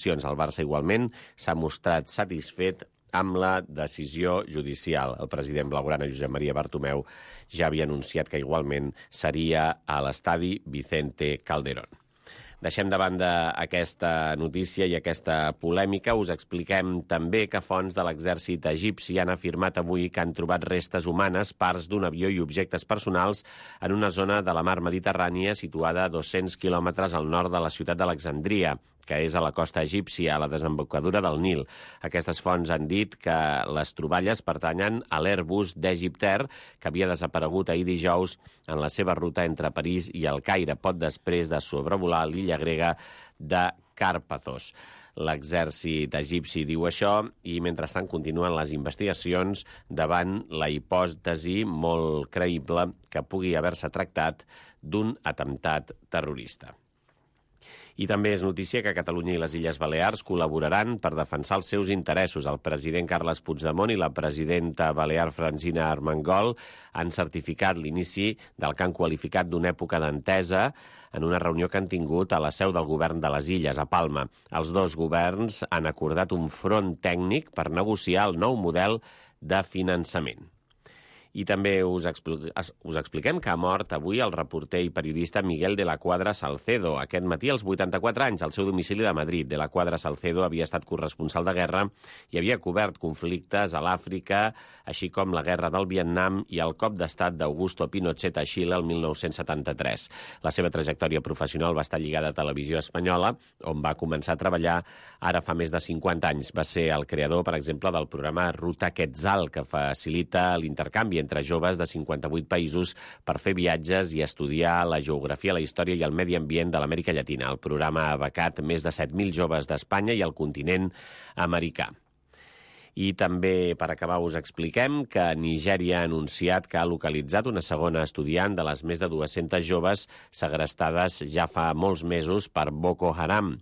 El Barça igualment s'ha mostrat satisfet amb la decisió judicial. El president blaugrana, Josep Maria Bartomeu, ja havia anunciat que igualment seria a l'estadi Vicente Calderón. Deixem de banda aquesta notícia i aquesta polèmica. Us expliquem també que fonts de l'exèrcit egipci han afirmat avui que han trobat restes humanes, parts d'un avió i objectes personals en una zona de la mar Mediterrània situada a 200 quilòmetres al nord de la ciutat d'Alexandria, que és a la costa egípcia, a la desembocadura del Nil. Aquestes fonts han dit que les troballes pertanyen a l'Airbus d'Egyptair, que havia desaparegut ahir dijous en la seva ruta entre París i el Caire, poc després de sobrevolar l'illa grega de Càrpathos. L'exèrcit egipci diu això i, mentrestant, continuen les investigacions davant la hipòtesi molt creïble que pugui haver-se tractat d'un atemptat terrorista. I també és notícia que Catalunya i les Illes Balears col·laboraran per defensar els seus interessos. El president Carles Puigdemont i la presidenta balear Francina Armengol han certificat l'inici del que han qualificat d'una època d'entesa en una reunió que han tingut a la seu del govern de les Illes, a Palma. Els dos governs han acordat un front tècnic per negociar el nou model de finançament. I també us expliquem que ha mort avui el reporter i periodista Miguel de la Cuadra Salcedo. Aquest matí, als 84 anys, al seu domicili de Madrid. De la Cuadra Salcedo havia estat corresponsal de guerra i havia cobert conflictes a l'Àfrica, així com la guerra del Vietnam i el cop d'estat d'Augusto Pinochet a Xile el 1973. La seva trajectòria professional va estar lligada a Televisió Espanyola, on va començar a treballar ara fa més de 50 anys. Va ser el creador, per exemple, del programa Ruta Quetzal, que facilita l'intercanvi entre joves de 58 països per fer viatges i estudiar la geografia, la història i el medi ambient de l'Amèrica Llatina. El programa ha becat més de 7.000 joves d'Espanya i el continent americà. I també, per acabar, us expliquem que Nigèria ha anunciat que ha localitzat una segona estudiant de les més de 200 joves segrestades ja fa molts mesos per Boko Haram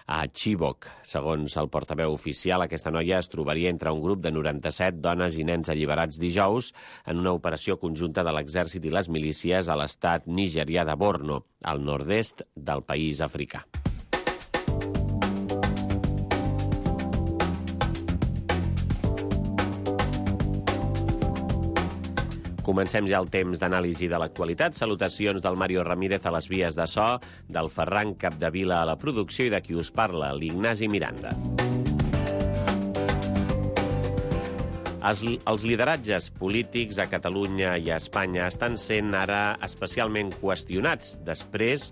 a Chibok. Segons el portaveu oficial, aquesta noia es trobaria entre un grup de 97 dones i nens alliberats dijous en una operació conjunta de l'exèrcit i les milícies a l'estat nigerià de Borno, al nord-est del país africà. Comencem ja el temps d'anàlisi de l'actualitat. Salutacions del Mario Ramírez a les vies de so, del Ferran Capdevila a la producció i de qui us parla, l'Ignasi Miranda. Els lideratges polítics a Catalunya i a Espanya estan sent ara especialment qüestionats després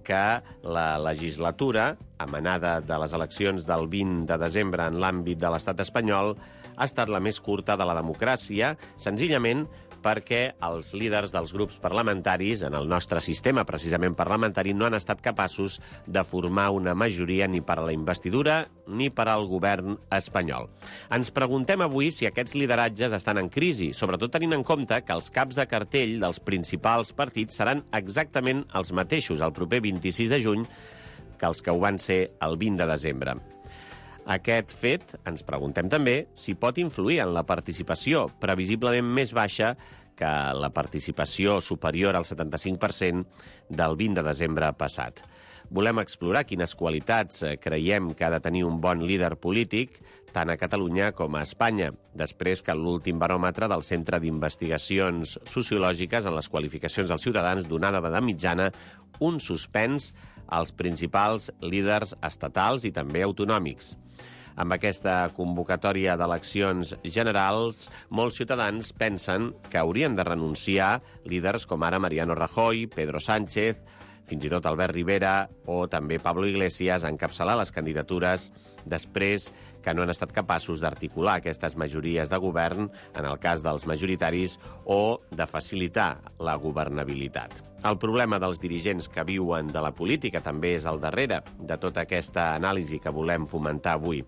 que la legislatura, emanada de les eleccions del 20 de desembre en l'àmbit de l'estat espanyol, ha estat la més curta de la democràcia, senzillament perquè els líders dels grups parlamentaris en el nostre sistema, precisament parlamentari, no han estat capaços de formar una majoria ni per a la investidura ni per al govern espanyol. Ens preguntem avui si aquests lideratges estan en crisi, sobretot tenint en compte que els caps de cartell dels principals partits seran exactament els mateixos el proper 26 de juny que els que ho van ser el 20 de desembre. Aquest fet, ens preguntem també, si pot influir en la participació, previsiblement més baixa que la participació superior al 75% del 20 de desembre passat. Volem explorar quines qualitats creiem que ha de tenir un bon líder polític, tant a Catalunya com a Espanya, després que l'últim baròmetre del Centre d'Investigacions Sociològiques en les qualificacions dels ciutadans donava de mitjana un suspens als principals líders estatals i també autonòmics. Amb aquesta convocatòria d'eleccions generals, molts ciutadans pensen que haurien de renunciar líders com ara Mariano Rajoy, Pedro Sánchez, fins i tot Albert Rivera o també Pablo Iglesias a encapçalar les candidatures després que no han estat capaços d'articular aquestes majories de govern, en el cas dels majoritaris, o de facilitar la governabilitat. El problema dels dirigents que viuen de la política també és al darrere de tota aquesta anàlisi que volem fomentar avui.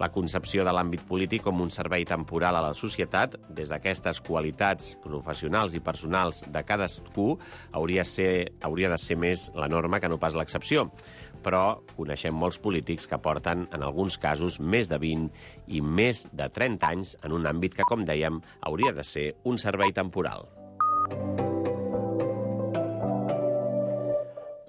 La concepció de l'àmbit polític com un servei temporal a la societat, des d'aquestes qualitats professionals i personals de cadascú, hauria de ser més la norma que no pas l'excepció. Però coneixem molts polítics que porten, en alguns casos, més de 20 i més de 30 anys en un àmbit que, com dèiem, hauria de ser un servei temporal.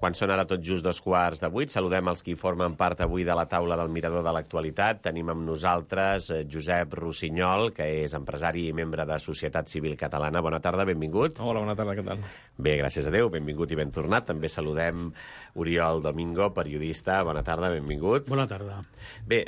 Quan són ara tot just 7:45, saludem els qui formen part avui de la taula del Mirador de l'Actualitat. Tenim amb nosaltres Josep Rossinyol, que és empresari i membre de Societat Civil Catalana. Bona tarda, benvingut. Hola, bona tarda, què tal? Bé, gràcies a Déu, benvingut i ben tornat. També saludem Oriol Domingo, periodista. Bona tarda, benvingut. Bona tarda. Bé,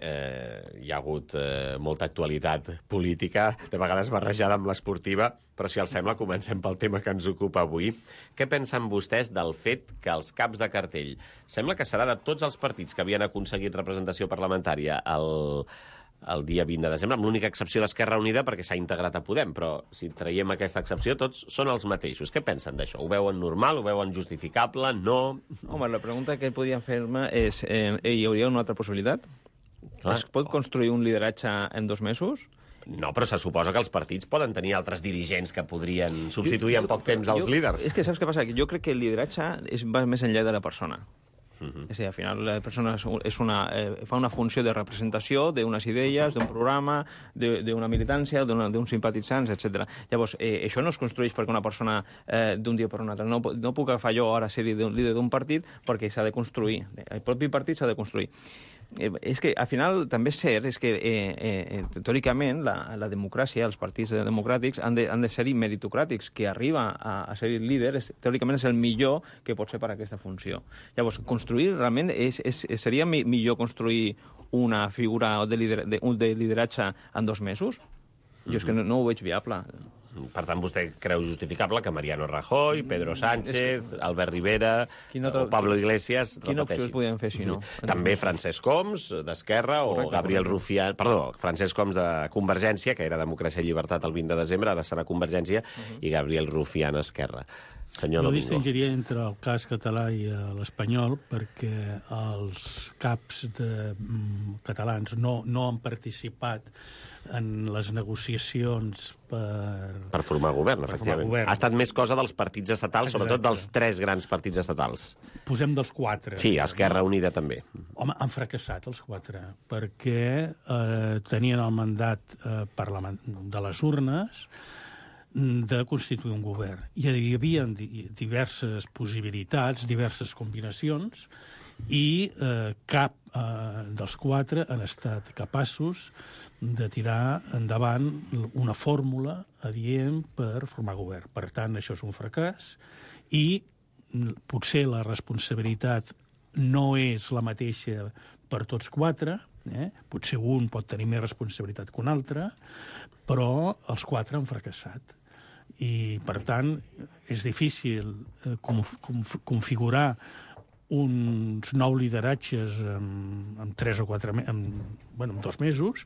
hi ha hagut molta actualitat política, de vegades barrejada amb l'esportiva, però si els sembla comencem pel tema que ens ocupa avui. Què pensen vostès del fet que els caps de cartell, sembla que serà de tots els partits que havien aconseguit representació parlamentària el dia 20 de desembre, amb l'única excepció d'Esquerra Unida perquè s'ha integrat a Podem, però si traiem aquesta excepció tots són els mateixos. Què pensen d'això? Ho veuen normal? Ho veuen justificable? No? Home, la pregunta que podríem fer-me és hi hauria una altra possibilitat? Clar. Es pot construir un lideratge en 2 mesos? No, però se suposa que els partits poden tenir altres dirigents que podrien substituir en poc temps els líders. És que saps què passa? Jo crec que el lideratge va més enllà de la persona. És a dir, al final la persona fa una funció de representació d'unes idees, d'un programa, d'una militància, d'uns simpatitzants, etc. Llavors, això no es construeix perquè una persona d'un dia per un altre. No puc agafar jo ara ser líder d'un partit perquè s'ha de construir. El propi partit s'ha de construir. És que, al final, també és cert és que, teòricament, la democràcia, els partits democràtics han de ser meritocràtics. Que arriba a ser líder, teòricament, és el millor que pot ser per a aquesta funció. Llavors, construir, realment, seria millor construir una figura de lideratge en 2 mesos? Jo és que no ho veig viable. Per tant, vostè creu justificable que Mariano Rajoy, Pedro Sánchez, Albert Rivera o Pablo Iglesias repeteixin. Quina opció es podien fer, si no? També Francesc Homs, d'Esquerra, o Gabriel Rufián... Perdó, Francesc Homs, de Convergència, que era Democràcia i Llibertat el 20 de desembre, ara serà Convergència, i Gabriel Rufián, Esquerra. Senyor Domingo. Jo distingiria entre el cas català i l'espanyol perquè els caps catalans no han participat en les negociacions per formar govern, efectivament. Ha estat més cosa dels partits estatals, sobretot dels 3 grans partits estatals. Posem dels 4. Sí, Esquerra Unida també. Home, han fracassat els 4, perquè tenien el mandat de les urnes de constituir un govern. Hi havia diverses possibilitats, diverses combinacions, i cap dels 4 han estat capaços de tirar endavant una fórmula adient per formar govern. Per tant, això és un fracàs i potser la responsabilitat no és la mateixa per tots 4, potser un pot tenir més responsabilitat que un altre, però els 4 han fracassat. I, per tant, és difícil configurar uns nous lideratges en 3 o 4 en 2 mesos,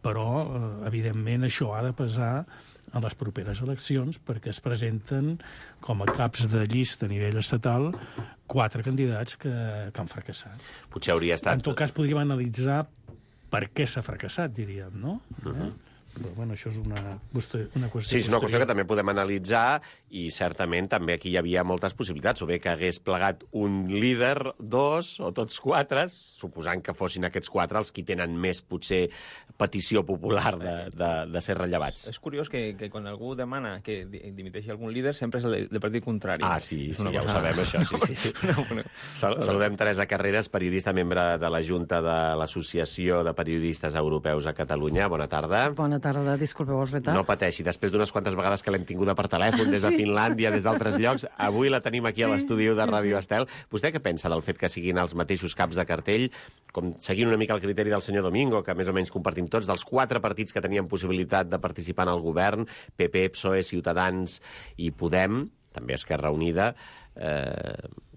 però, evidentment, això ha de pesar a les properes eleccions perquè es presenten com a caps de llista a nivell estatal 4 candidats que han fracassat. Potser hauria estat... En tot cas, podríem analitzar per què s'ha fracassat, diríem, no? Però, bueno, això és una qüestió... Sí, és una qüestió que també podem analitzar i certament també aquí hi havia moltes possibilitats, o bé que hagués plegat un líder, 2 o tots 4, suposant que fossin aquests 4 els qui tenen més, potser, petició popular de ser rellevats. És curiós que quan algú demana que dimiteixi algun líder sempre és el partit contrari. Ah, sí, ja ho sabem, això, sí. Saludem Teresa Carreras, periodista, membre de la Junta de l'Associació de Periodistes Europeus a Catalunya. Bona tarda. Bona tarda, disculpeu el retard. No pateixi, després d'unes quantes vegades que l'hem tinguda per telèfon, des de Finlàndia, des d'altres llocs, avui la tenim aquí a l'estudi de Ràdio Estel. Vostè què pensa del fet que siguin els mateixos caps de cartell, com seguint una mica el criteri del senyor Domingo, que més o menys compartim tots, dels 4 partits que tenien possibilitat de participar en el govern, PP, PSOE, Ciutadans i Podem, també Esquerra Unida,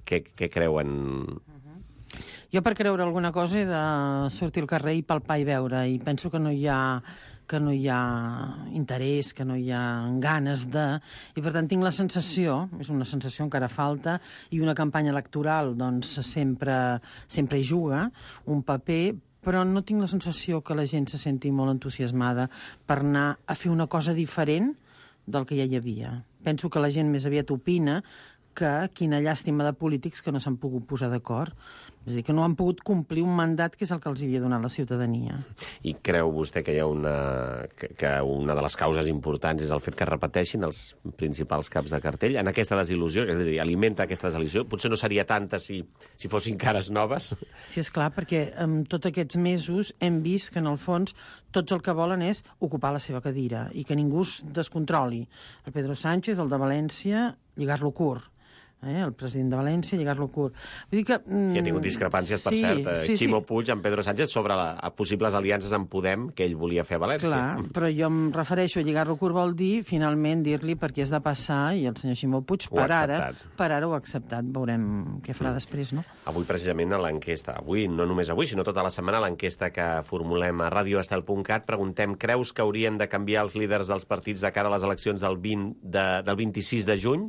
què creuen? Jo, per creure alguna cosa, he de sortir al carrer i palpar i veure, i penso que no hi ha interès, que no hi ha ganes de... I, per tant, tinc la sensació, és una sensació encara falta, i una campanya electoral, doncs, sempre hi juga un paper, però no tinc la sensació que la gent se senti molt entusiasmada per anar a fer una cosa diferent del que ja hi havia. Penso que la gent més aviat opina que quina llàstima de polítics que no s'han pogut posar d'acord. És a dir, que no han pogut complir un mandat que és el que els havia donat la ciutadania. I creu vostè que hi ha que una de les causes importants és el fet que repeteixin els principals caps de cartell en aquesta desil·lusió, és a dir, alimenta aquesta desil·lusió? Potser no seria tanta si fossin cares noves? Sí, és clar, perquè en tots aquests mesos hem vist que, en el fons, tots el que volen és ocupar la seva cadira i que ningú es descontroli. El Pedro Sánchez, el de València, lligar-lo curt. El president de València, lligar-lo curt. Vull dir que... Hi ha tingut discrepàncies, per cert, Ximo Puig amb Pedro Sánchez sobre possibles aliances amb Podem que ell volia fer a València. Clar, però jo em refereixo a lligar-lo curt vol dir, finalment, dir-li per què has de passar, i el senyor Ximo Puig, per ara ho ha acceptat. Veurem què farà després, no? Avui, precisament, a l'enquesta, no només avui, sinó tota la setmana, a l'enquesta que formulem a radioestel.cat, preguntem, creus que haurien de canviar els líders dels partits de cara a les eleccions del 26 de juny?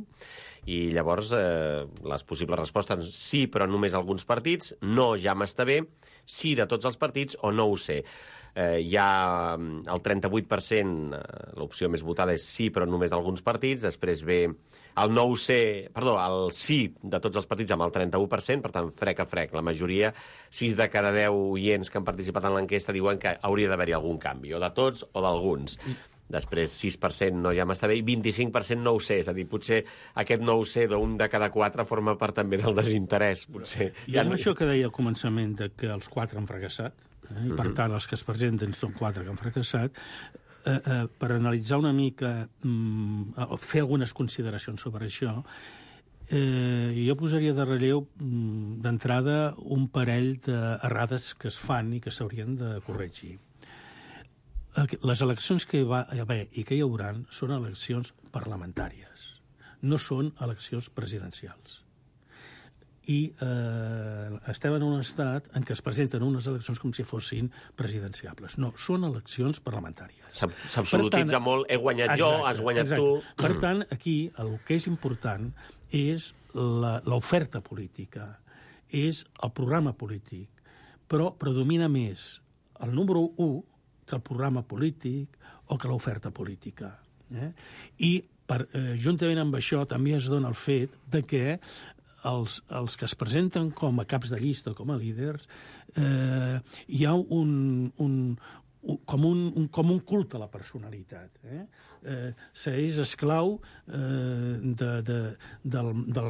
I llavors les possibles respostes sí, però només alguns partits, no, ja m'està bé, sí de tots els partits o no ho sé. Hi ha el 38%, l'opció més votada és sí, però només d'alguns partits, després ve el no ho sé, perdó, el sí de tots els partits amb el 31%, per tant, frec a frec. La majoria, 6 de cada 10 oients que han participat en l'enquesta diuen que hauria d'haver-hi algun canvi, o de tots o d'alguns. Després 6% no ja m'està bé i 25% no ho sé. És a dir, potser aquest no ho sé d'un de cada 4 forma part també del desinterès. Potser. I amb això que deia al començament de que els 4 han fracassat, i per tant els que es presenten són 4 que han fracassat, per analitzar una mica, fer algunes consideracions sobre això, jo posaria de relleu d'entrada un parell d'errades que es fan i que s'haurien de corregir. Les eleccions que hi va haver i que hi haurà són eleccions parlamentàries, no són eleccions presidencials. I estem en un estat en què es presenten unes eleccions com si fossin presidenciables. No, són eleccions parlamentàries. S'absolutitza molt, he guanyat jo, has guanyat tu. Per tant, aquí el que és important és l'oferta política, és el programa polític, però predomina més el número 1 que el programa polític o que l'oferta política. I juntament amb això també es dona el fet de que els que es presenten com a caps de llista, com a líders, hi ha com un culte a la personalitat. S'és esclau del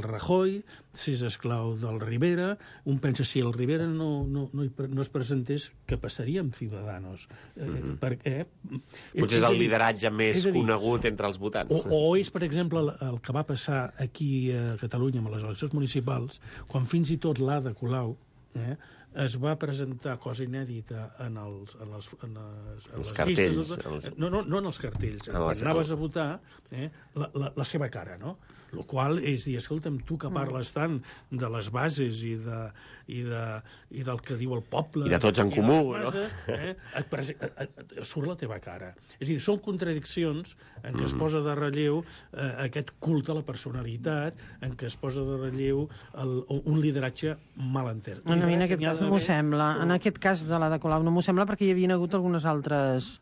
Rajoy, s'és esclau del Rivera, un pensa si el Rivera no es presentés, què passaria amb Ciudadanos? Perquè... Potser és el lideratge més conegut entre els votants. O és, per exemple, el que va passar aquí a Catalunya amb les eleccions municipals, quan fins i tot l'Ada Colau es va presentar cosa inèdita en les cartells. No en els cartells. Quan anaves a votar, la seva cara, no? El qual és dir, escolta'm, tu que parles tant de les bases i del que diu el poble... I de tots en comú, no? Surt la teva cara. És a dir, són contradiccions en què es posa de relleu aquest culte a la personalitat, en què es posa de relleu un lideratge mal entès. A mi en aquest cas no m'ho sembla. En aquest cas de l'Ada Colau no m'ho sembla perquè hi havia hagut algunes altres...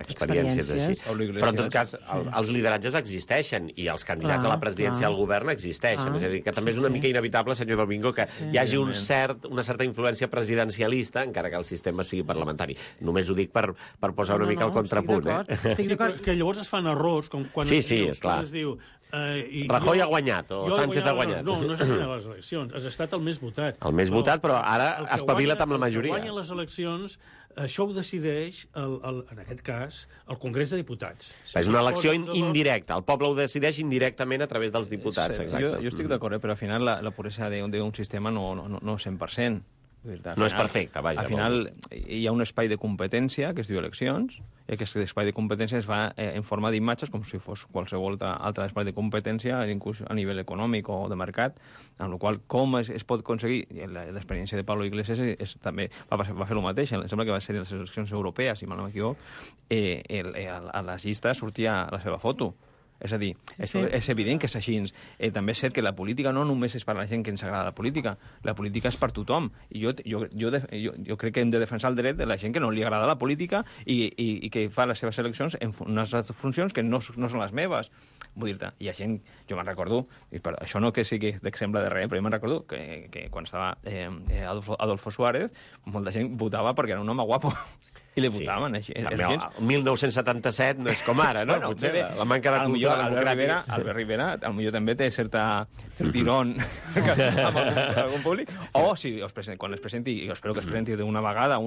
experiències així. Però en tot cas els lideratges existeixen i els candidats a la presidència del govern existeixen. És a dir, que també és una mica inevitable, senyor Domingo, que hi hagi una certa influència presidencialista, encara que el sistema sigui parlamentari. Només ho dic per posar una mica el contrapunt. Que llavors es fan errors, com quan es diu Rajoy ha guanyat o Sánchez ha guanyat. No has guanyat les eleccions, has estat el més votat. El més votat, però ara espavila't amb la majoria. El que guanya les eleccions, això ho decideix, en aquest cas, el Congrés de Diputats. És una elecció indirecta. El poble ho decideix indirectament a través dels diputats. Jo estic d'acord, però al final la puresa d'un sistema no 100%. No és perfecte, vaja. Al final hi ha un espai de competència que es diu eleccions, i aquest espai de competència es fa en forma d'imatges, com si fos qualsevol altre espai de competència, inclús a nivell econòmic o de mercat, amb la qual com es pot aconseguir, l'experiència de Pablo Iglesias també va fer el mateix, em sembla que va ser en les eleccions europees, si mal no m'equivoc, a les llistes sortia la seva foto. És a dir, és evident que és així. També és cert que la política no només és per a la gent que ens agrada la política és per tothom. I jo crec que hem de defensar el dret de la gent que no li agrada la política i que fa les seves eleccions en unes funcions que no són les meves. Vull dir-te, hi ha gent... Jo me'n recordo, i per això no que sigui d'exemple de res, però jo me'n recordo que quan estava Adolfo Suárez, molta gent votava perquè era un home guapo. I li votaven. Sí. També el 1977 no és com ara, no? Bueno, potser la manca de cultura democràtica. Albert Rivera, potser també té cert tirón amb algun públic. O si quan es presenti, i espero que es presenti d'una vegada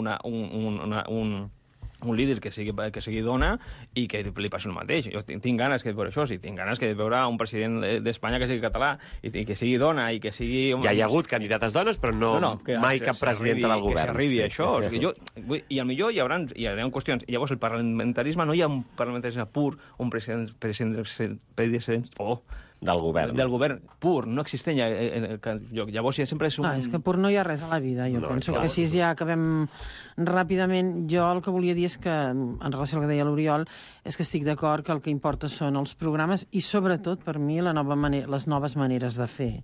un líder que sigui dona i que li passi el mateix. Jo tinc ganes de veure això, tinc ganes de veure un president d'Espanya que sigui català i que sigui dona i que sigui... Ja hi ha hagut candidates dones, però mai cap presidenta del govern. Que s'arribi a això. I potser hi haurà qüestions. Llavors, el parlamentarisme no hi ha un parlamentarisme pur, un president del govern pur, no existeix. Llavors sempre és un... és que pur no hi ha res a la vida, jo penso que així ja acabem ràpidament. Jo el que volia dir és que, en relació al que deia l'Oriol, és que estic d'acord que el que importa són els programes i, sobretot, per mi, les noves maneres de fer.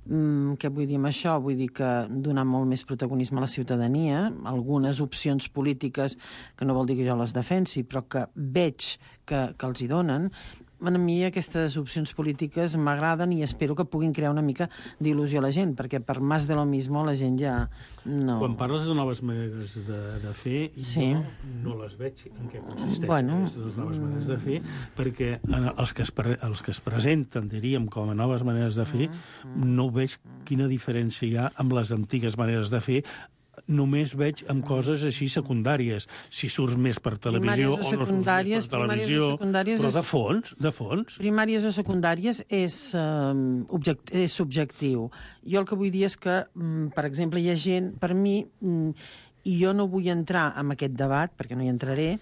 Què vull dir amb això? Vull dir que donar molt més protagonisme a la ciutadania, algunes opcions polítiques, que no vol dir que jo les defensi, però que veig que els hi donen. A mi aquestes opcions polítiques m'agraden i espero que puguin crear una mica d'il·lusió a la gent, perquè per más de lo mismo la gent ja no... Quan parles de noves maneres de fer, sí. Jo no les veig en què consisteixen aquestes noves maneres de fer, perquè els que es presenten, diríem, com a noves maneres de fer, no veig quina diferència hi ha amb les antigues maneres de fer. Només veig amb coses així secundàries, si surts més per televisió o no surts més per televisió, però de fons. Primàries o secundàries és subjectiu. Jo el que vull dir és que, per exemple, hi ha gent, per mi, i jo no vull entrar en aquest debat, perquè no hi entraré,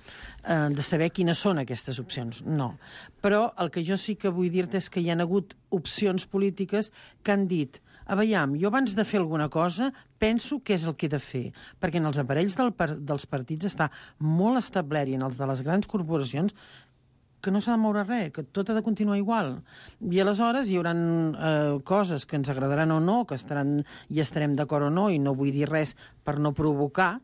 de saber quines són aquestes opcions, no. Però el que jo sí que vull dir-te és que hi ha hagut opcions polítiques que han dit: aviam, jo abans de fer alguna cosa penso què és el que he de fer, perquè en els aparells dels partits està molt establert i en els de les grans corporacions que no s'ha de moure res, que tot ha de continuar igual. I aleshores hi haurà coses que ens agradaran o no, que estarem d'acord o no, i no vull dir res per no provocar.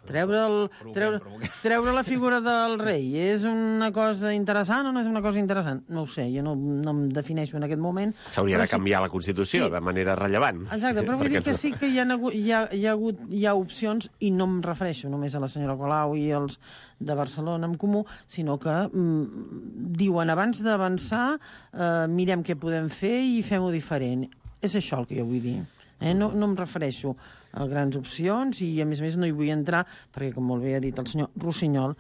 Treure la figura del rei és una cosa interessant o no és una cosa interessant? No ho sé, jo no em defineixo en aquest moment. S'hauria de canviar la Constitució de manera rellevant. Exacte, però vull dir que sí que hi ha opcions, i no em refereixo només a la senyora Colau i els de Barcelona en Comú, sinó que diuen abans d'avançar mirem què podem fer i fem-ho diferent. És això el que jo vull dir. No em refereixo a grans opcions i, a més, no hi vull entrar perquè, com molt bé ha dit el senyor Rossinyol,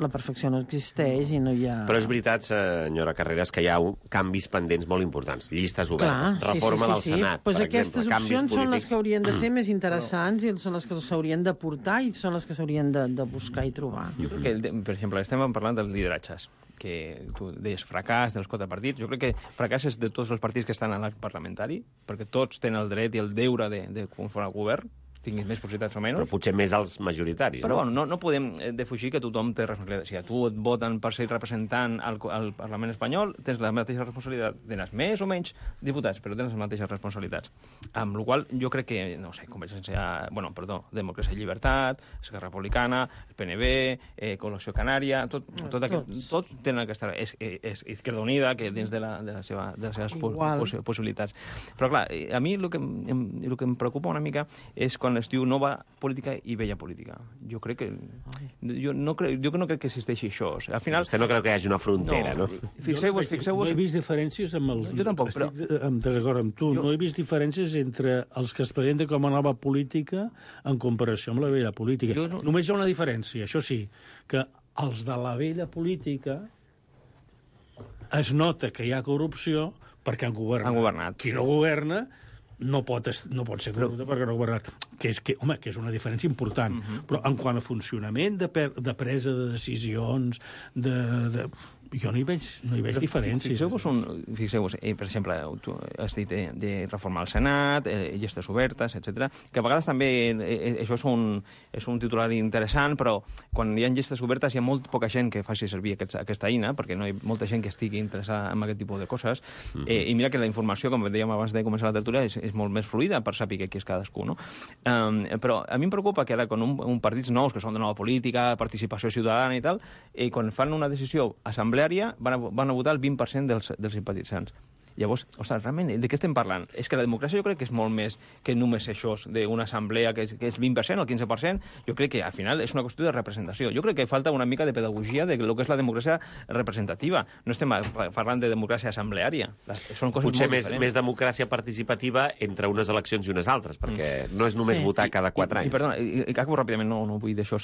la perfecció no existeix i no hi ha... Però és veritat, senyora Carreras, que hi ha canvis pendents molt importants, llistes obertes, reforma del Senat, pues per exemple, aquestes opcions són les que haurien de ser més interessants i són les que s'haurien de portar i són les que s'haurien de buscar i trobar. Jo crec que, per exemple, estem parlant dels lideratges, que tu deies fracàs dels 4 partits. Jo crec que fracàs és de tots els partits que estan a l'arc parlamentari, perquè tots tenen el dret i el deure de conformar el govern, tinguis més possibilitats o menys. Però potser més els majoritaris. Però bueno, no podem defugir que tothom té responsabilitat. Si a tu et voten per ser representant al Parlament espanyol, tens la mateixa responsabilitat. Tens més o menys diputats, però tens les mateixes responsabilitats. Amb la qual jo crec que, no sé, Democràcia i Llibertat, Esquerra Republicana, el PNB, Col·lecció Canària, tots tenen aquesta... És Izquierda Unida, que dins de les seves possibilitats. Però clar, a mi el que em preocupa una mica és quan es diu nova política i vella política. Jo crec que... Jo no crec que existeixi això. Al final... Vostè no creu que hi hagi una frontera, no? Fixeu-vos... No he vist diferències amb els... Jo tampoc, però... Estic desacord amb tu. No he vist diferències entre els que es presenten com a nova política en comparació amb la vella política. Només hi ha una diferència, això sí, que els de la vella política es nota que hi ha corrupció perquè han governat. Qui no governa no pot ser corrupte perquè no ha governat. Que és una diferència important. Però en quant a funcionament de presa de decisions, Jo no hi veig diferències. Fixeu-vos, per exemple, tu has dit de reformar el Senat, llistes obertes, etc. Que a vegades també això és un titular interessant, però quan hi ha llistes obertes hi ha molt poca gent que faci servir aquesta eina, perquè no hi ha molta gent que estigui interessada en aquest tipus de coses. I mira que la informació, com dèiem abans de començar la tertúlia, és molt més fluida per saber qui és cadascú, no? Però a mi em preocupa que ara, quan un partits nous, que són de nova política, participació ciutadana i tal, quan fan una decisió assembleària, van a votar el 20% dels simpatitzants. Llavors, ostres, realment, de què estem parlant? És que la democràcia jo crec que és molt més que només això d'una assemblea que és 20%, el 15%. Jo crec que al final és una qüestió de representació. Jo crec que falta una mica de pedagogia de lo que és la democràcia representativa. No estem parlant de democràcia assembleària. Són coses potser molt diferents. més democràcia participativa entre unes eleccions i unes altres, perquè no és només votar cada 4 anys. I perdona, acabo ràpidament, no vull d'això.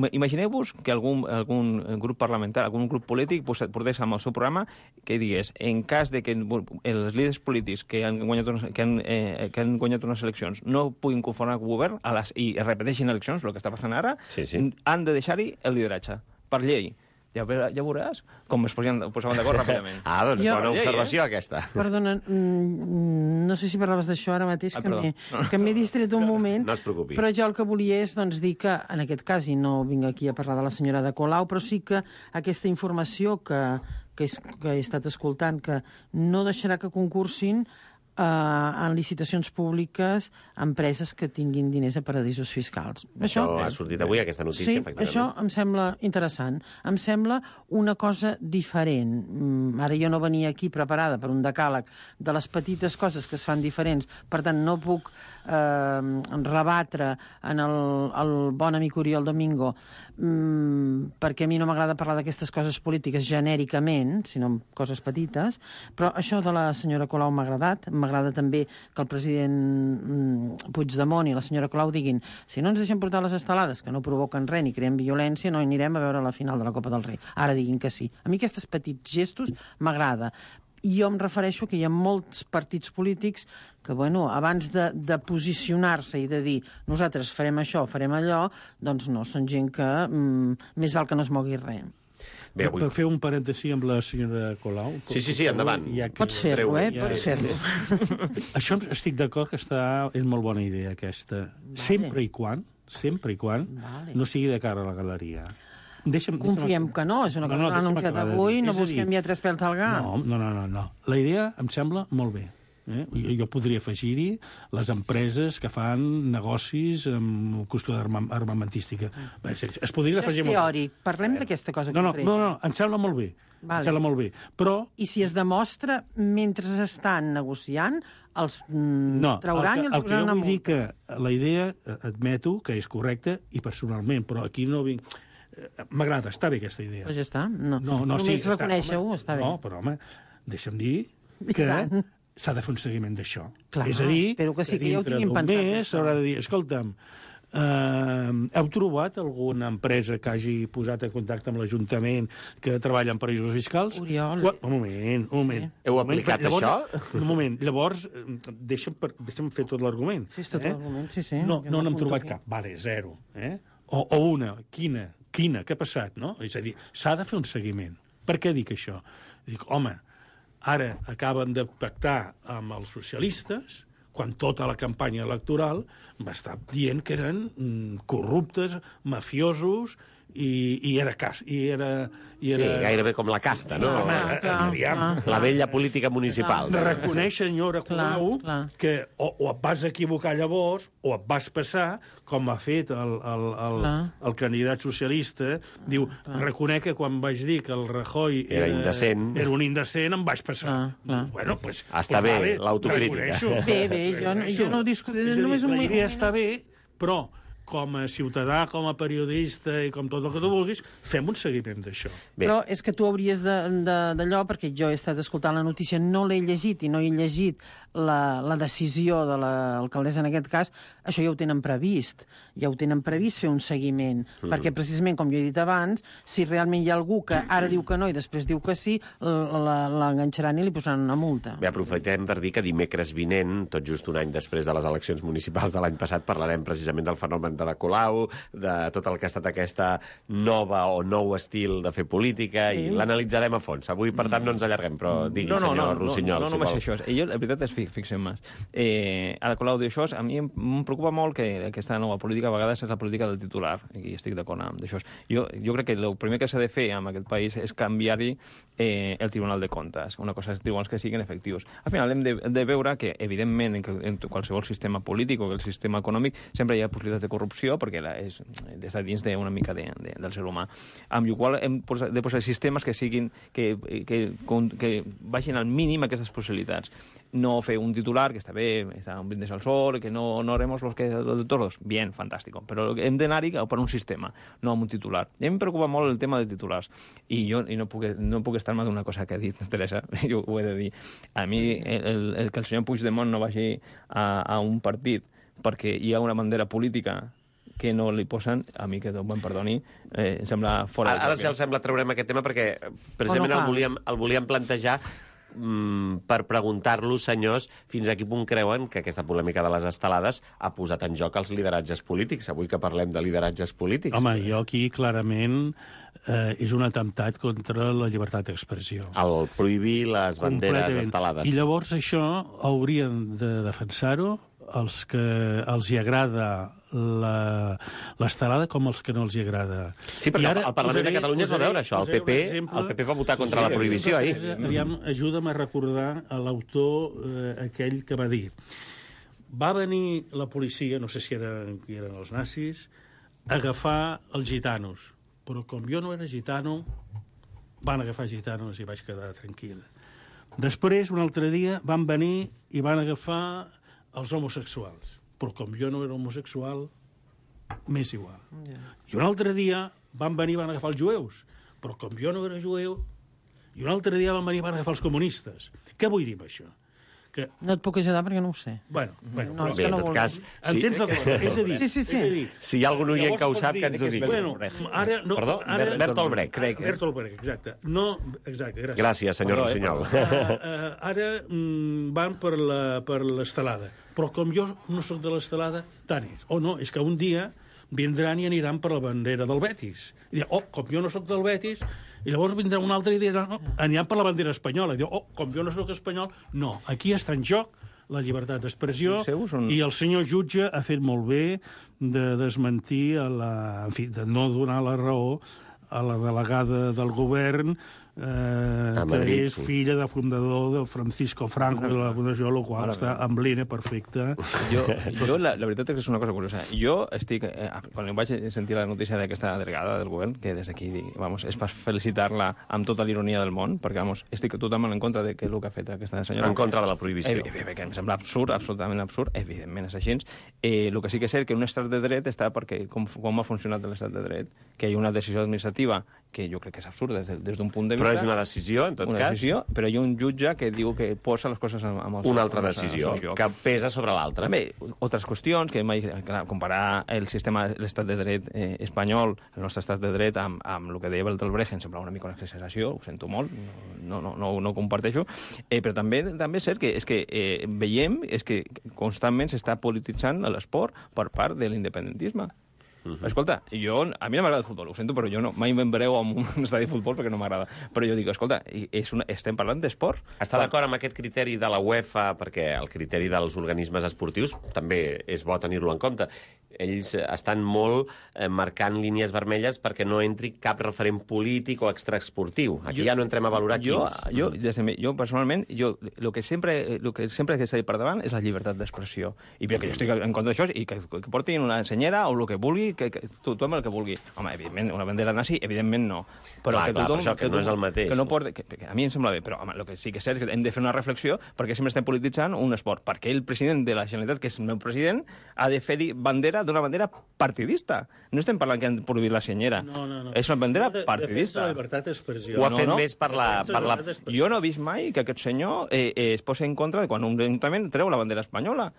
Imagineu-vos que algun grup parlamentari, algun grup polític portés amb el seu programa que digués, en cas de que els líders polítics que han guanyat unes eleccions no puguin conformar el govern i repeteixin eleccions, el que està passant ara, han de deixar-hi el lideratge, per llei. Ja veuràs com es posaven d'acord ràpidament. Doncs bona observació, aquesta. Perdona, no sé si parlaves d'això ara mateix, que m'he distret un moment. No es preocupi. Però jo el que volia és dir que, en aquest cas, i no vinc aquí a parlar de la senyora de Colau, però sí que aquesta informació que he estat escoltant, que no deixarà que concursin en licitacions públiques empreses que tinguin diners a paradisos fiscals. Això ha sortit avui, aquesta notícia, efectivament. Sí, això em sembla interessant. Em sembla una cosa diferent. Ara jo no venia aquí preparada per un decàleg de les petites coses que es fan diferents, per tant no puc rebatre en el bon amic Oriol Domingo, perquè a mi no m'agrada parlar d'aquestes coses polítiques genèricament, sinó en coses petites, però això de la senyora Colau m'ha agradat. M'agrada també que el president Puigdemont i la senyora Colau diguin, si no ens deixem portar les estelades, que no provoquen res ni creen violència, no anirem a veure la final de la Copa del Rei. Ara diguin que sí. A mi aquests petits gestos m'agrada. I jo em refereixo que hi ha molts partits polítics que, abans de posicionar-se i de dir nosaltres farem això, farem allò, doncs no, són gent que més val que no es mogui res. Bé, per fer un parèntesi amb la senyora Colau... Sí, endavant. Pots fer-ho, pots fer-ho. Això estic d'acord que és molt bona idea, aquesta. Sempre i quan no sigui de cara a la galeria. Confiem que no, és una cosa que l'ha anunciat avui, no busquem ja 3 pèls al gat. No. La idea em sembla molt bé. Jo podria afegir-hi les empreses que fan negocis amb qüestió armamentística. Es podria afegir molt. És teòric. Parlem d'aquesta cosa concreta. No, em sembla molt bé. Em sembla molt bé. Però... I si es demostra mentre estan negociant, els trauran i els posaran a multa. El que jo vull dir que la idea, admeto que és correcta, i personalment, però aquí no vinc... M'agrada, està bé aquesta idea. Doncs ja està. Només reconèixer-ho, està bé. No, però home, deixa'm dir que s'ha de fer un seguiment d'això. És a dir, que dintre d'un mes s'haurà de dir, escolta'm, heu trobat alguna empresa que hagi posat en contacte amb l'Ajuntament que treballa en paradisos fiscals? Oriol. Un moment. Heu aplicat això? Un moment. Llavors, deixa'm fer tot l'argument. Fes tot l'argument, sí. No n'hem trobat cap. Vale, 0. O una. Quina? Què ha passat, no? És a dir, s'ha de fer un seguiment. Per què dic això? Dic, home, ara acaben de pactar amb els socialistes, quan tota la campanya electoral va estar dient que eren corruptes, mafiosos, i era gairebé com la casta, no? La vella política municipal. Reconeix, senyora Colau, que o et vas equivocar llavors o et vas passar, com ha fet el candidat socialista, diu, reconec que quan vaig dir que el Rajoy era un indecent, em vaig passar. Bueno, doncs... Està bé, l'autocrítica. Bé, jo no discutiré. La idea està bé, però com a ciutadà, com a periodista i com tot el que tu vulguis, fem un seguiment d'això. Però és que tu hauries d'allò, perquè jo he estat escoltant la notícia, no l'he llegit i no he llegit la decisió de l'alcaldessa en aquest cas, això ja ho tenen previst. Ja ho tenen previst fer un seguiment, perquè precisament, com jo he dit abans, si realment hi ha algú que ara diu que no i després diu que sí, l'enganxaran i li posaran una multa. Bé, aprofitem per dir que dimecres vinent, tot just un any després de les eleccions municipals de l'any passat, parlarem precisament del fenomen d'Ada Colau, de tot el que ha estat aquesta nova o nou estil de fer política, i l'analitzarem a fons. Avui, per tant, no ens allarguem, però digui, senyor Rossinyol, no, si només vol. això. Jo, la veritat és, fixem més. Ada Colau diu això, a mi em preocupa molt que aquesta nova política a vegades és la política del titular, i estic d'acord amb això. Jo crec que el primer que s'ha de fer en aquest país és canviar-hi el Tribunal de Comptes. Una cosa és tribunals que siguin efectius. Al final hem de veure que, evidentment, en qualsevol sistema polític o el sistema econòmic sempre hi ha possibilitats de corrupció perquè està dins d'una mica del ser humà. Amb la qual hem de posar sistemes que siguin que baixin al mínim aquestes possibilitats. No fer un titular, que està bé, està un brindis al sol, que no haremos los de todos. Bien, fantástico. Però hem d'anar-hi per un sistema, no amb un titular. I em preocupa molt el tema de titulars. I no puc estar-me d'una cosa que ha dit Teresa, jo ho he de dir. A mi, que el senyor Puigdemont no vagi a un partit perquè hi ha una bandera política que no li posen, a mi que Déu me'n perdoni, sembla fora... Ara sí, el sembla traurem aquest tema perquè precisament el volíem plantejar per preguntar-los, senyors, fins a quin punt creuen que aquesta polèmica de les estelades ha posat en joc els lideratges polítics, avui que parlem de lideratges polítics. Home, jo aquí clarament és un atemptat contra la llibertat d'expressió. El prohibir les banderes estelades. I llavors això haurien de defensar-ho els que els hi agrada l'estelada com els que no els hi agrada. Sí, perquè al Parlament de Catalunya es va veure això. El PP va votar contra la prohibició ahir. Aviam, ajuda'm a recordar l'autor aquell que va dir: va venir la policia, no sé si eren els nazis, a agafar els gitanos, però com jo no era gitano, van agafar gitanos i vaig quedar tranquil. Després, un altre dia, van venir i van agafar els homosexuals, però com jo no era homosexual, m'és igual. I un altre dia van venir i van agafar els jueus, però com jo no era jueu, i un altre dia van venir i van agafar els comunistes. Què vull dir amb això? No et puc ajudar perquè no ho sé. Bueno, no, és que no en tot cas... Entens la cosa? És a dir... Sí. Si hi ha algun oient que ho sap, que ens ho digui. Bueno, ara... Perdó, Bertolt Brecht. Bertolt Brecht, exacte. No, exacte, gràcies. Gràcies, senyor Rossinyol. Ara van per l'estelada. Però com jo no sóc de l'estelada, tant és. O no, és que un dia vindran i aniran per la bandera del Betis. I diran, com jo no sóc del Betis... I llavors vindrà un altre i dirà, aniran per la bandera espanyola. I diu, com jo no sóc espanyol... No, aquí està en joc la llibertat d'expressió i el senyor jutge ha fet molt bé de desmentir, en fi, de no donar la raó a la delegada del govern que és filla de fundador del Francisco Franco de la Fundació, el qual està amb l'INE perfecte. Jo la veritat és que és una cosa curiosa. Jo estic... Quan vaig sentir la notícia d'aquesta delegada del govern, que des d'aquí, és per felicitar-la amb tota l'ironia del món, perquè, estic totalment en contra de el que ha fet aquesta senyora. En contra de la prohibició. Que em sembla absurd, absolutament absurd, evidentment és així. El que sí que és cert que un estat de dret està perquè com ha funcionat l'estat de dret, que hi ha una decisió administrativa que jo crec que és absurda des d'un punt de vista. Però és una decisió, en tot cas. Decisió, però hi ha un jutge que diu que posa les coses amb una altra decisió, que pesa sobre l'altra. Bé, altres qüestions, que comparar l'estat de dret espanyol, el nostre estat de dret, amb el que deia Bertolt Brecht, em sembla una mica una exageració, ho sento molt, no ho comparteixo, però també és cert que veiem que constantment s'està polititzant l'esport per part de l'independentisme. Escolta, a mi no m'agrada el futbol, ho sento, però jo mai me'n veureu en un estadi de futbol perquè no m'agrada. Però jo dic, escolta, estem parlant d'esport. Està d'acord amb aquest criteri de la UEFA, perquè el criteri dels organismes esportius també és bo tenir-lo en compte. Ells estan molt marcant línies vermelles perquè no entri cap referent polític o extraesportiu. Aquí ja no entrem a valorar quins. Jo personalment, el que sempre que s'ha dit per davant és la llibertat d'expressió. I perquè jo estic en contra d'això, i que portin una senyera o el que vulgui, que tothom el que vulgui. Home, evidentment, una bandera nazi, evidentment no. Però que tothom, que no és el mateix. A mi em sembla bé, però el que sí que és cert és que hem de fer una reflexió perquè sempre estem polititzant un esport. Perquè el president de la Generalitat, que és el meu president, ha de fer bandera d'una bandera partidista. No estem parlant que han prohibit la senyera. No. És una bandera partidista. La llibertat d'expressió. Ho ha fet més per la... Jo no he vist mai que aquest senyor es posi en contra de quan un ajuntament treu la bandera espanyola.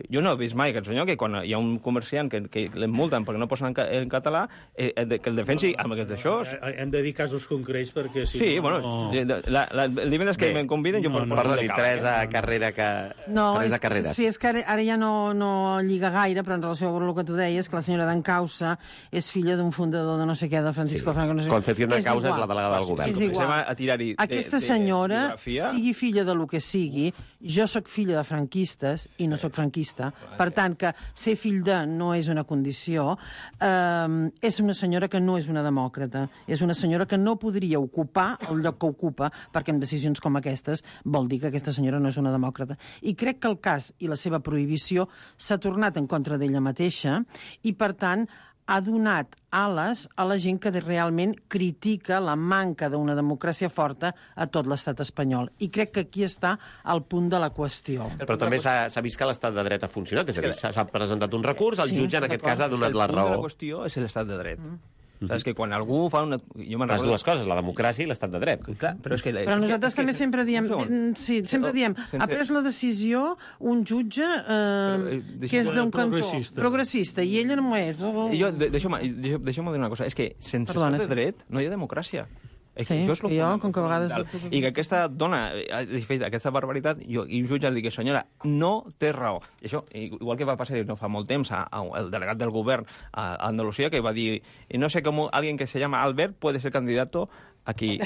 Jo no he vist mai aquest senyor que quan hi ha un comerciant que l'emmulten perquè no posen en català, que el defensi amb aquests d'això. Hem de dir casos concrets perquè... Si Sí, no, bueno, el divendres que em conviden jo... Perdoni, Teresa Carrera, Teresa Carreras. Sí, és que ara ja no lliga gaire, però en relació amb el que tu deies, que la senyora d'Encausa és filla d'un fundador de no sé què, de Francisco Franco, no sé què. Concepción d'Encausa és la delegada del govern. És igual. Aquesta senyora, sigui filla de lo que sigui, jo sóc filla de franquistes i no sóc franquista. Per tant, que ser fill de no és una condició, és una senyora que no és una demòcrata, és una senyora que no podria ocupar el lloc que ocupa, perquè amb decisions com aquestes vol dir que aquesta senyora no és una demòcrata. I crec que el cas i la seva prohibició s'ha tornat en contra d'ella mateixa i, per tant, ha donat ales a la gent que realment critica la manca d'una democràcia forta a tot l'estat espanyol. I crec que aquí està el punt de la qüestió. Però també s'ha vist que l'estat de dret ha funcionat, és a dir, s'ha presentat un recurs, el jutge en aquest cas ha donat la raó. El punt de raó. la qüestió és l'estat de dret. Saps que quan algú fa una... Les dues coses, la democràcia i l'estat de dret. Clar, però és que... Però nosaltres també sempre diem... Sí, sempre diem, ha pres la decisió un jutge que és d'un cantó progressista, i ella no és. Deixeu-me dir una cosa, és que sense estat de dret no hi ha democràcia. Sí, com que a vegades... I que aquesta dona ha fet aquesta barbaritat i un jutge ha dit que senyora, no té raó. I això, igual que va passar no fa molt temps al delegat del govern a Andalusia, que va dir, no sé com alguien que se llama Albert puede ser candidato aquí.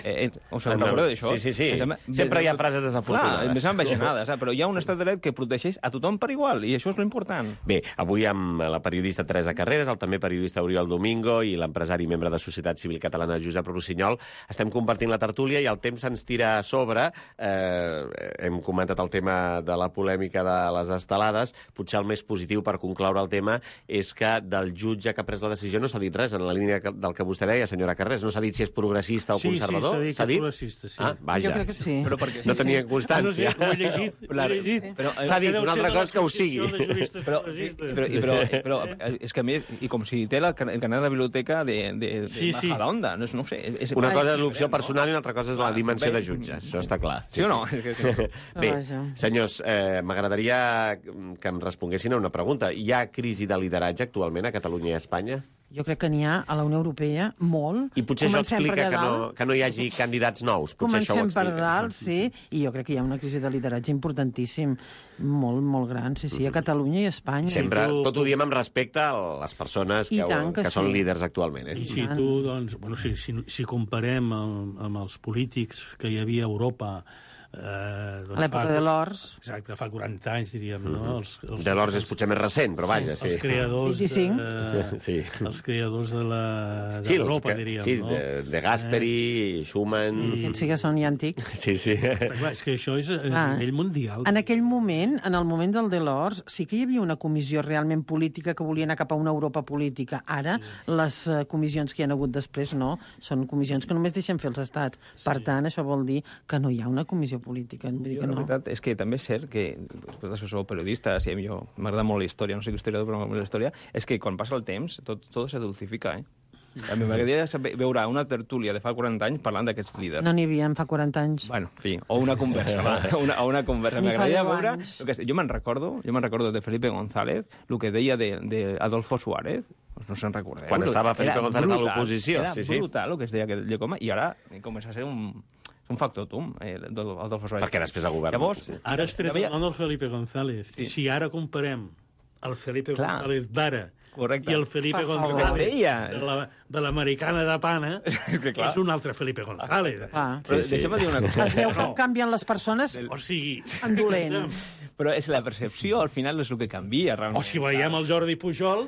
Us en recordeu d'això? Sí. Sempre hi ha frases desafortunades. Més enveginades, però hi ha un estat de dret que protegeix a tothom per igual, i això és l'important. Bé, avui amb la periodista Teresa Carreras, el també periodista Oriol Domingo i l'empresari i membre de Societat Civil Catalana Josep Rossinyol, estem compartint la tertúlia i el temps se'ns tira a sobre. Hem comentat el tema de la polèmica de les estelades. Potser el més positiu per concloure el tema és que del jutge que ha pres la decisió no s'ha dit res, en la línia del que vostè deia, senyora Carreras. No s'ha dit si és progressista o conservador? Sí, s'ha dit que és progressista, sí. Vaja. Jo crec que sí. Però perquè no tenia constància. Ho he llegit. S'ha dit una altra cosa que ho sigui. Però és que a mi, i com si té el carnet de la biblioteca de Majadahonda, no sé. Una cosa és l'opció personal i una altra cosa és la dimensió de jutge, això està clar. Sí o no? Bé, senyors, m'agradaria que em responguessin a una pregunta. Hi ha crisi de lideratge actualment a Catalunya i a Espanya? Jo crec que n'hi ha a la Unió Europea molt. I potser això explica que no hi hagi candidats nous. Comencem per dalt, sí, i jo crec que hi ha una crisi de lideratge importantíssim, molt, molt gran, sí, a Catalunya i a Espanya. Sempre, tot ho diem amb respecte a les persones que són líders actualment. I si tu, doncs, si comparem amb els polítics que hi havia a Europa a l'època de l'Ors. Exacte, fa 40 anys, diríem, no? De l'Ors és potser més recent, però vaja, sí. Els creadors 25. Els creadors de l'Europa, diríem, no? Sí, de Gasperi, Schumann... Aquests sí que són ja antics. Sí. Clar, és que això és a nivell mundial. En aquell moment, en el moment del Delors, sí que hi havia una comissió realment política que volia anar cap a una Europa política. Ara, les comissions que hi ha hagut després, no, són comissions que només deixen fer els estats. Per tant, això vol dir que no hi ha una comissió política. La veritat és que també és cert que, després que sou periodistes, i a mi m'agrada molt la història, no sé què historiador, però m'agrada la història, és que quan passa el temps, tot se dulcifica, A mi m'agradaria veure una tertúlia de fa 40 anys parlant d'aquests líders. No n'hi havia fa 40 anys. Bueno, en fi, o una conversa, una conversa. M'agradaria veure... Jo me'n recordo de Felipe González, el que deia d'Adolfo Suárez, no se'n recordeu. Quan estava Felipe González a l'oposició. Era brutal el que es deia aquell home, i ara comença a ser un factotum, Adolfo Suárez. Perquè després el govern... Llavors, ara has tret el nom del Felipe González. I si ara comparem el Felipe González d'ara i el Felipe González de l'americana de Pana, que és un altre Felipe González. Deixa'm dir una cosa. Es veu com canvien les persones en dolent. Però és la percepció, al final, és el que canvia, realment. O si veiem el Jordi Pujol...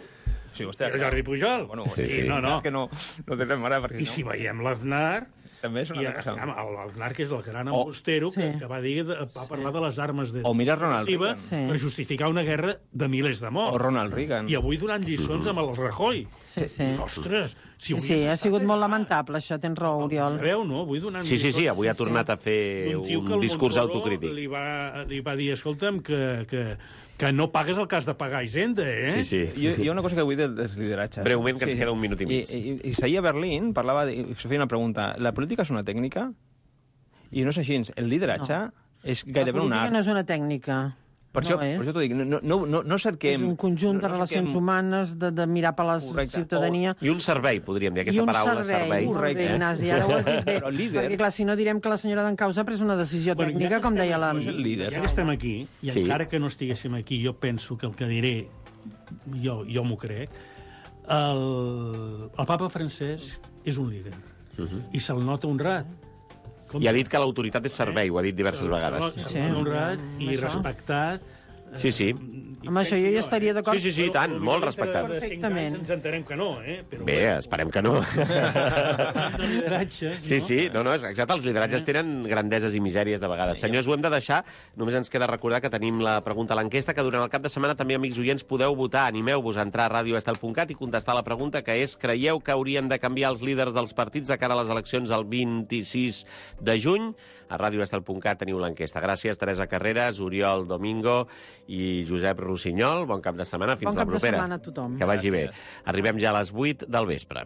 Sí, hòstia, el Jordi Pujol. No. Que no tenen mare, perquè I si veiem l'Aznar... També és una cosa... L'Aznar, que és el gran embustero, que va parlar de les armes o mira Ronald Reagan per justificar una guerra de milers de morts. O Ronald Reagan. I avui donant lliçons amb el Rajoy. Sí. Ostres! Sí, ha sigut molt lamentable, això, tens raó, Oriol. Sabeu, no? Avui donant lliçons... Sí, avui ha tornat a fer un discurs autocrític. Li va dir, escolta'm, que no pagues el cas de pagar Hisenda, Sí. Hi ha una cosa que vull dir dels lideratges. Breument, que ens queda un minut i mig. I ahir a Berlín se feia una pregunta. La política és una tècnica? I no és així. El lideratge és gairebé un art. La política no és una tècnica. Per això t'ho dic, no cerquem... És un conjunt de relacions humanes, de mirar per la ciutadania. I un servei, podríem dir, aquesta paraula, servei. Molt bé, Ignasi, ara ho has dit bé. Perquè, clar, si no direm que la senyora d'Encausa ha pres una decisió tècnica, com deia la... Ja que estem aquí, i encara que no estiguéssim aquí, jo penso que el que diré, jo m'ho crec, el papa francès és un líder, i se'l nota honrat. I ha dit que l'autoritat és servei, ho ha dit diverses vegades. Se'l nota honrat i respectat. Sí. Amb això jo ja estaria d'acord. Sí, tant, molt respectat. Perfectament. Ens entenem que no, Bé, esperem que no. De lideratges, no? Sí, no, exacte, els lideratges tenen grandeses i misèries de vegades. Senyors, ho hem de deixar, només ens queda recordar que tenim la pregunta a l'enquesta, que durant el cap de setmana també, amics oients, podeu votar. Animeu-vos a entrar a radioestel.cat i contestar la pregunta, que és: creieu que haurien de canviar els líders dels partits de cara a les eleccions el 26 de juny? A radioestel.cat teniu l'enquesta. Gràcies, Teresa Carreras, Oriol Domingo i Josep Rossinyol. Bon cap de setmana, fins la propera. Bon cap de setmana a tothom. Que vagi bé. Arribem ja a les 8 del vespre.